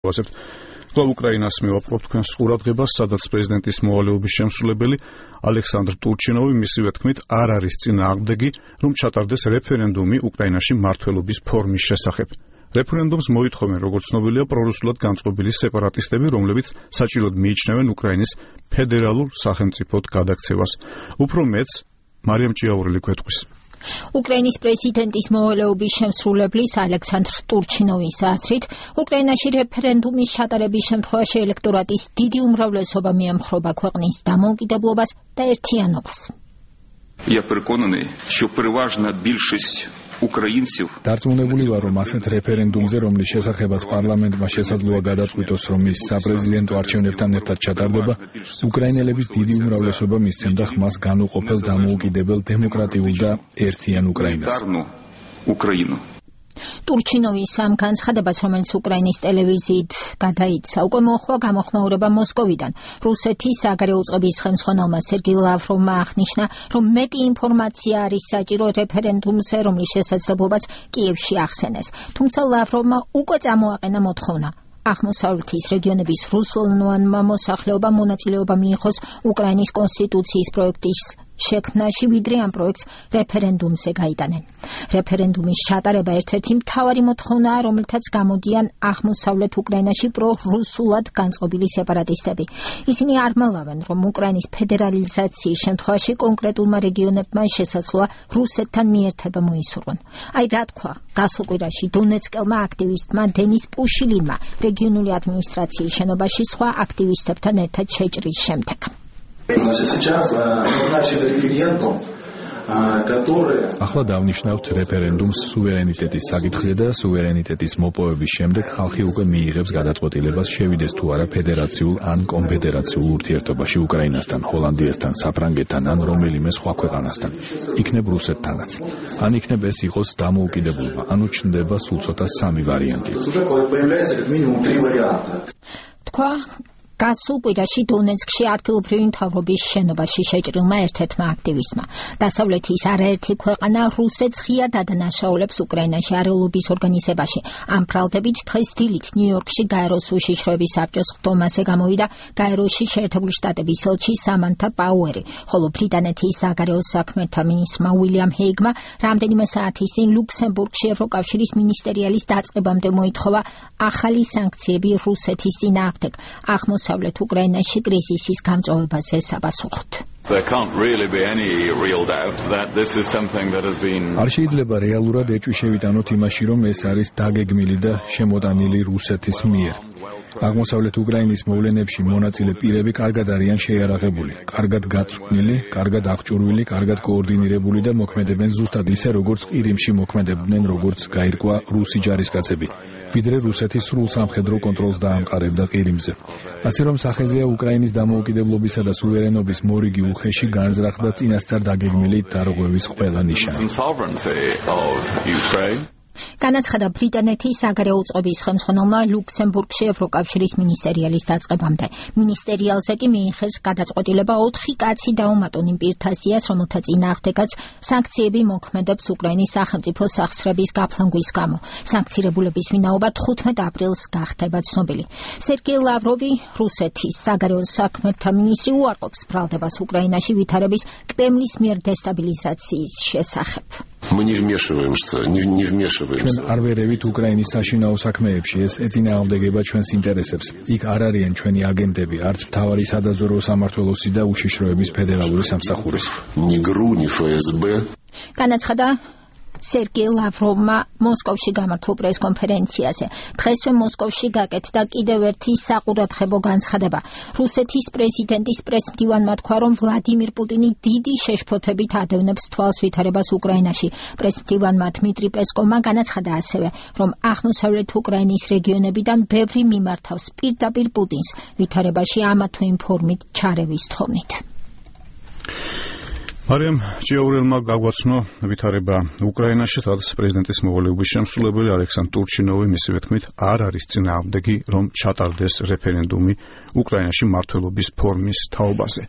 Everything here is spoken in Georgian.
კვლავ უკრაინას მივაპყრობთ თქვენს ყურადღებას, სადაც პრეზიდენტის მოვალეობის შემსრულებელი ალექსანდრ ტურჩინოვი მისივე თქმით არ არის წინააღმდეგი, რომ ჩატარდეს რეფერენდუმი უკრაინაში მმართველობის ფორმის შესახებ. რეფერენდუმს მოითხოვენ, როგორც ცნობილია, პრორუსულად განწყობილი სეპარატისტები, რომლებიც საჭიროდ მიიჩნევენ უკრაინის ფედერალურ სახელმწიფოდ გადაქცევას. უფრო მეც მარიამ ჭიაურელი გვეტყვის. უკრაინის პრეზიდენტის მოვალეობის შემსრულებლის ალექსანდრ ტურჩინოვის აზრით, უკრაინაში რეფერენდუმის ჩატარების შემთხვევაში ელექტორატის დიდი უმრავლესობა მიემხრობა ქვეყნის დამოუკიდებლობას და ერთიანობას. Я переконаний, що переважна більшість українців დარწმუნებული ვარ, რომ ასეთ რეფერენდუმზე, რომლის შესახებაც პარლამენტმა შესაძლოა გადაწყვიტოს, რომ ის საპრეზიდენტო არჩევნებთან ერთად ჩატარდება, უკრაინელების დიდი უმრავლესობა მისცემდა ხმას განუყოფელ დამოუკიდებელ დემოკრატიულ და ერთიან უკრაინას. ტურჩინოვის ამ განცხადებას, რომელიც უკრაინის ტელევიზიით გადაიცა, უკვე მოხდა გამოხმაურება მოსკოვიდან. რუსეთის საგარეო უწყების ხელმძღვანელმა სერგეი ლავროვმა აღნიშნა, რომ მეტი ინფორმაცია არის საჭირო რეფერენდუმზე, რომლის შესაძლებლობაც კიევში ახსენეს. თუმცა ლავროვმა უკვე წამოაყენა მოთხოვნა. აღმოსავლეთის რეგიონების რუსულენოვანმა მოსახლეობამ მონაწილეობა მიიღოს უკრაინის კონსტიტუციის პროექტის შექმნაში, ვიდრე ამ პროექტს რეფერენდუმზე გაიტანენ. რეფერენდუმის ჩატარება ერთ-ერთი მთავარი მოთხოვნაა, რომელთაც გამოდიან აღმოსავლეთ უკრაინაში პრორუსულად განწყობილი სეპარატისტები. ისინი არ მალავენ, რომ უკრაინის ფედერალიზაციის შემთხვევაში კონკრეტულმა რეგიონებმა შესაძლოა რუსეთთან მიერთება მოისურვონ. აი რა თქვა გასულ კვირაში დონეცკელმა აქტივისტმა დენის პუშილინმა რეგიონული ადმინისტრაციის შენობაში სხვა აქტივისტებთან ერთად შეჭრის შემდეგ. ახლა დავნიშნავთ რეფერენდუმს სუვერენიტეტის საკითხზე და სუვერენიტეტის მოპოვების შემდეგ ხალხი უკვე მიიღებს გადაწყვეტილებას შევიდეს თუ არა ფედერაციულ ან კონფედერაციულ ურთიერთობაში უკრაინასთან, ჰოლანდიასთან, საფრანგეთთან ან რომელიმე სხვა ქვეყანასთან. იქნებ რუსეთთანაც. ან იქნებ ეს იყოს დამოუკიდებლობა, ანუ ჩნდება სულ ცოტა სამი ვარიანტი. თქვა გასულ კვირაში დონეცკში ადგილობრივი მთავრობის შენობაში შეჭრილმა ერთ-ერთმა აქტივისტმა. დასავლეთის არაერთი ქვეყანა რუსეთს ღიად ადანაშაულებს უკრაინაში არეულობის ორგანიზებაში. ამ ბრალდებით დღეს დილით ნიუ-იორკში გაეროს უშიშროების საბჭოს ხდომაზე გამოვიდა გაეროში შეერთებული შტატების ელჩი სამანთა პაუერი, ხოლო ბრიტანეთის საგარეო საქმეთა მინისტრმა უილიამ ჰეიგმა რამდენიმე საათის წინ ლუქსემბურგში ევროკავშირის მინისტერიალის დაწყებამდე მოითხოვა ახალი სანქციები რუსეთის წინააღმდეგ. აღმოსავლეთ უკრაინაში კრიზისის გამწვავებაზე საპასუხოდ. არ შეიძლება რეალურად ეჭვი შევიტანოთ იმაში, რომ ეს არის დაგეგმილი და შემოტანილი რუსეთის მიერ. აღმოსავლეთ უკრაინის მოვლენებში მონაწილე პირები კარგად არიან შეიარაღებული, კარგად გაწვრთნილი, კარგად აღჭურვილი, კარგად კოორდინირებული და მოქმედებენ ზუსტად ისე, როგორც ყირიმში მოქმედებდნენ, როგორც გაირკვა რუსი ჯარისკაცები, ვიდრე რუსეთი სრულ სამხედრო კონტროლს დაამყარებდა ყირიმზე. ასე რომ სახეზეა უკრაინის დამოუკიდებლობისა და სუვერენობის მორიგი უხეში განზრახდა წინასწარ დაგეგმილი დარღვევის ყველა ნიშანი. განაცხადა ბრიტანეთის საგარეო უწყების ხელმძღვანელმა ლუქსემბურგში ევროკავშირის მინისტერიალის დაწყებამდე. მინისტერიალზე კი მიიღეს გადაწყვეტილება 4 კაცი დაუმატონ იმ პირთა სიას, რომელთა წინააღმდეგაც სანქციები მოქმედებს უკრაინის სახელმწიფო სახსრების გაფლანგვის გამო. სანქცირებულების ვინაობა 15 აპრილს გახდება ცნობილი. სერგეი ლავროვი, რუსეთის საგარეო საქმეთა მინისტრი, უარყოფს ბრალდებას უკრაინაში ვითარების კრემლის მიერ დესტაბილიზაციის შესახებ. ჩვენ არ ვერევით უკრაინის საშინაო საქმეებში, ეს ეწინააღმდეგება ჩვენს ინტერესებს. იქ არ არიან ჩვენი აგენტები, არც მთავარი სადაზვერვო სამმართველოსი და უშიშროების ფედერალური სამსახურის. განაცხადა სერგეი ლავროვმა მოსკოვში გამართულ პრესკონფერენციაზე. დღესვე მოსკოვში გაკეთდა კიდევ ერთი საყურადღებო განცხადება. რუსეთის პრეზიდენტის პრესმდივანმა თქვა, რომ ვლადიმირ პუტინი დიდი შეშფოთებით ადევნებს თვალს ვითარებას უკრაინაში. პრესმდივანმა დმიტრი პესკოვმა განაცხადა ასევე, რომ აღმოსავლეთ უკრაინის რეგიონებიდან ბევრი მიმართავს პირდაპირ პუტინს ვითარებაში ამა თუ იმ ფორმით ჩარევის თხოვნით. მარიამ ჭიაურელმა გაგვაცნო ვითარება უკრაინაში, სადაც პრეზიდენტის მოვალეობის შემსრულებელი ალექსანდრ ტურჩინოვი მისივე თქმით არ არის წინააღმდეგი, რომ ჩატარდეს რეფერენდუმი უკრაინაში მმართველობის ფორმის თაობაზე.